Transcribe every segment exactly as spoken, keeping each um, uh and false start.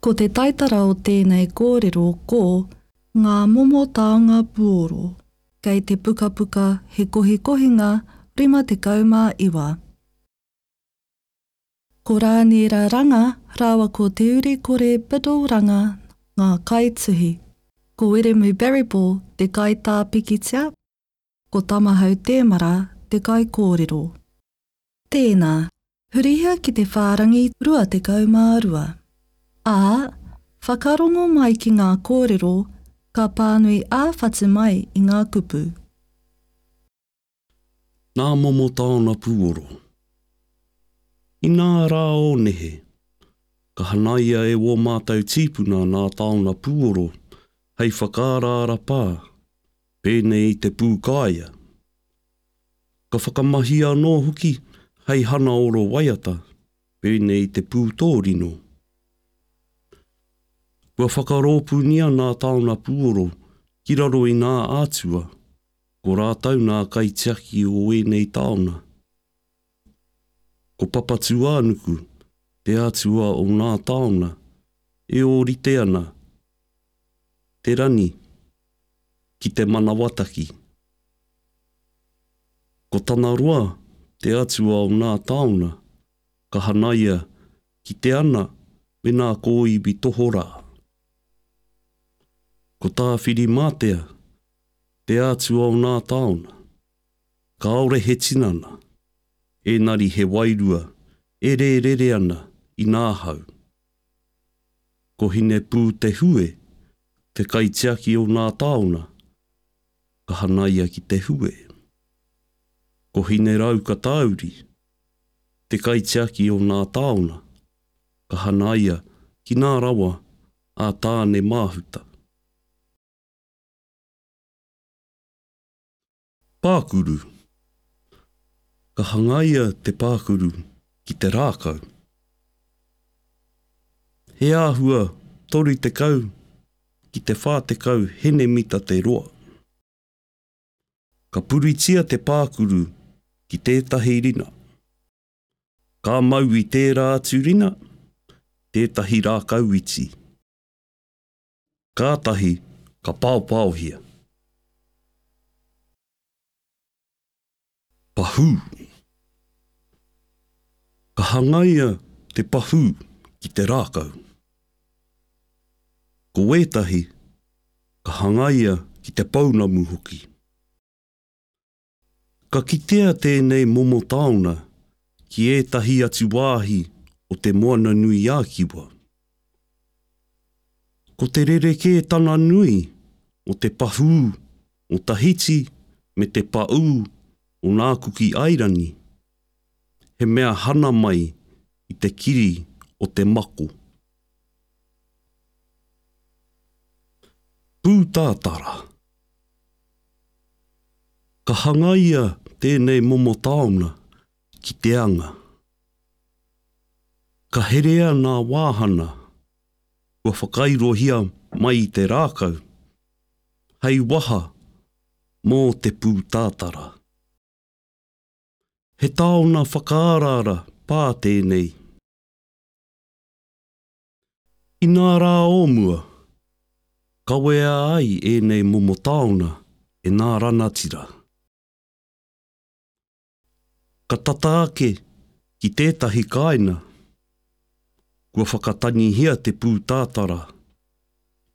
Ko te taitara o tēnei kōrero ko Ngā momo taonga puoro, kei te pukapuka He Kohikohinga rima tekau mā iwa. Ko Rāniera Ranga rāua ko Te Urikore Biddle Ranga ngā kaituhi. Ko Wiremu Barryball te kaitā pikitia, ko Tamahau Tēmara te kaikōrero. Tēnā, hurihia ki te whārangi rua tekau mā rua. Ā, whakarongo mai ki ngā kōrero, ka pānui ā-whatu mai i ngā kupu. Nā momo taona pūoro. Inā rā o nehe, ka hanaia e wō mātou tīpuna nā taona pūoro hei whakaaraara pā, pēnei i te pūkāea. Ka whakamahia anō hoki hei hana oro waiata, pēnei i te pūtōrino. Kua whakarōpūnia nā taona pūoro ki raro i nā atua, ko rātou nā kaitiaki o ēnei taona. Ko Papatūānuku, te atua o nā taona, e ōrite ana te rani ki te manawataki. Ko Tanaroa, te atua o nā taona, ka hanaia ki te ana me nā kōiwi tohorā. Ko Tāwhirimātea, te atua o nā taona, kāore he tinana, ēnari he wairua e rērere ana i nā hau. Ko Hinepūtehue, te kaitiaki o nā taona, ka hanaia ki te hue. Ko Hineraukatauri, te kaitiaki o nā taona, ka hanaia ki nā rawa a Tāne Māhuta. Pākuru. Ka hangaia te pākuru ki te rākau. He āhua toru tekau ki te whā tekau henemita te roa. Ka puritia te pākuru ki tētahi rina. Ka mau i tērā atu rina, tētahi rākau iti. Kātahi ka paopaohia. Pahū. Ka hangaia te pahū ki te rākau. Ko wētahi, ka hangaia ki te pounamu hoki. Ka kitea tēnei momo taona ki ētahi atu wāhi o te Moana-nui-ā-Kiwa. Ko te rerekētanga nui o te pahū o Tahiti me te paū o nā Kuki Airani, he mea hana mai i te kiri o te mako. Pūtātara. Ka hangaia tēnei momo taona ki te anga. Ka herea nā wāhana kua whakairohia mai i te rākau, hei waha mō te pūtātara. He taona whakaaraara pā tēnei. Inā rā o mua, kawea ai ēnei momo taona e nā ranatira. Ka tata ake ki tētahi kāina, kua whakatangihia te pūtātara,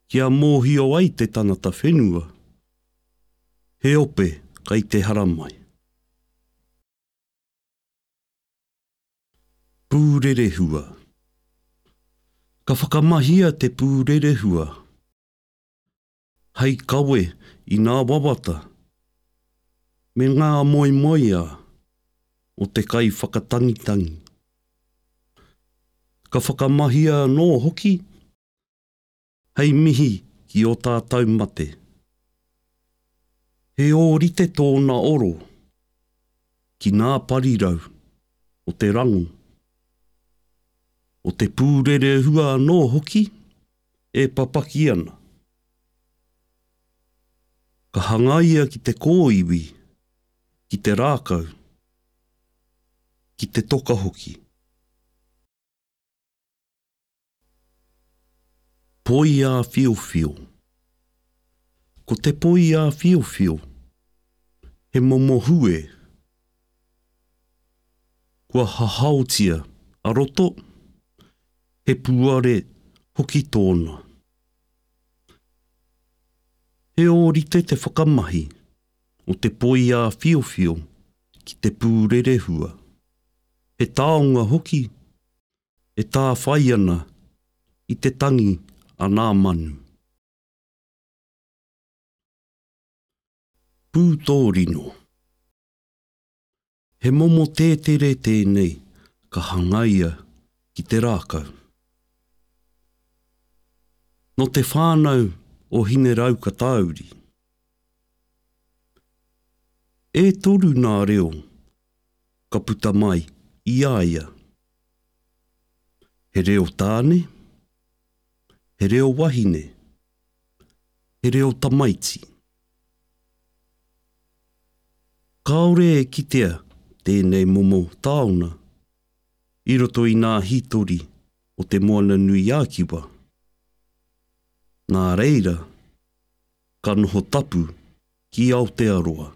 kia mōhio ai te tangata whenua, he ope kai te haramai. Pūrerehua. Ka whakamahia te pūrerehua hei kawe i nā wawata me ngā moemoeā o te kai whakatangitangi. Ka whakamahia anō hoki hei mihi ki o tātou mate. He ōrite tōna oro ki nā parirau o te rango, o te pūrerehua anō hoki e papaki ana. Ka hangaia ki te kōiwi, ki te rākau, ki te toka hoki. Poi āwhiowhio. Ko te poi āwhiowhio, he momo hue. Kua hahaotia a roto, he puare hoki tōna. He ōrite te whakamahi o te poi āwhiowhio ki te pūrerehua. He taonga hoki e tāwhai ana i te tangi a nā manu. Pūtōrino. He momo tētere tēnei ka hangaia ki te rākau. Nō te whānau o Hineraukatauri. E toru nā reo ka puta mai i a ia. He reo tāne, he reo wahine, he reo tamaiti. Kāore e kitea tēnei momo taonga i roto i nā hītori o te Moana-nui-ā-Kiwa. Nā reira, ka noho tapu ki Aotearoa.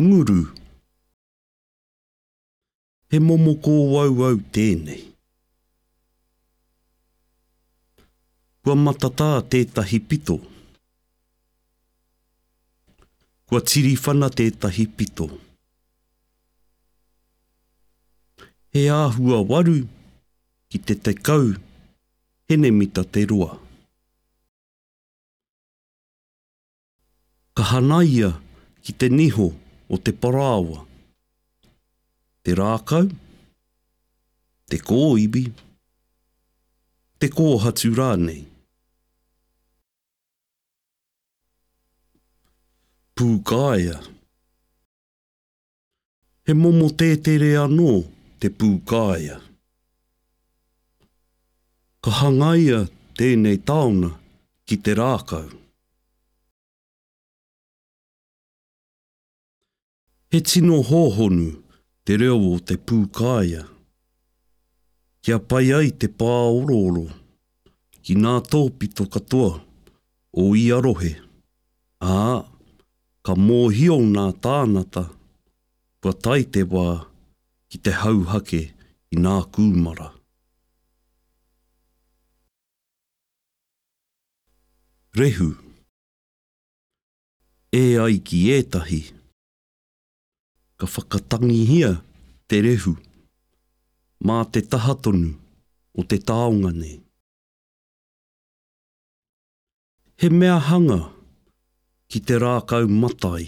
Nguru. He momo kōauau tēnei. Kua matatā tētahi pito. Kua tiriwhana tētahi pito. He āhua waru ki te tekau henemita te roa. Ka hanaia ki te niho o te parāoa, te rākau, te kōiwi, te kōhatu rānei. Pūkaea. He momo tētere anō te pūkaea. Ka hangaia tēnei taonga ki te rākau. He tino hōhonu te reo o te pūkaea. Kia pai ai te pāorooro ki nā tōpito katoa o ia rohe, ā, ka mōhio nā tānata kua tae te wā ki te hauhake i nā kūmara. Rehu. E ai ki ētahi, ka whakatangihia te rehu mā te taha tonu o te taonga nei. He mea hanga ki te rākau matai,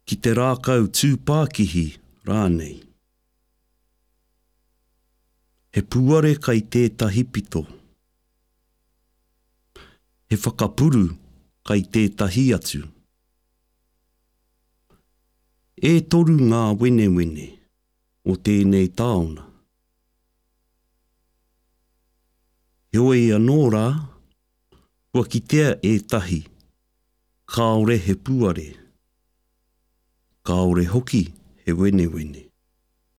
ki te rākau tūpākihi rānei. He puare kai tētahi pito. He whakapuru kai tētahi atu. E toru ngā wenewene o tēnei taonga. Heoi anō rā, kua kitea ētahi, kāore he puare, kāore hoki he wenewene.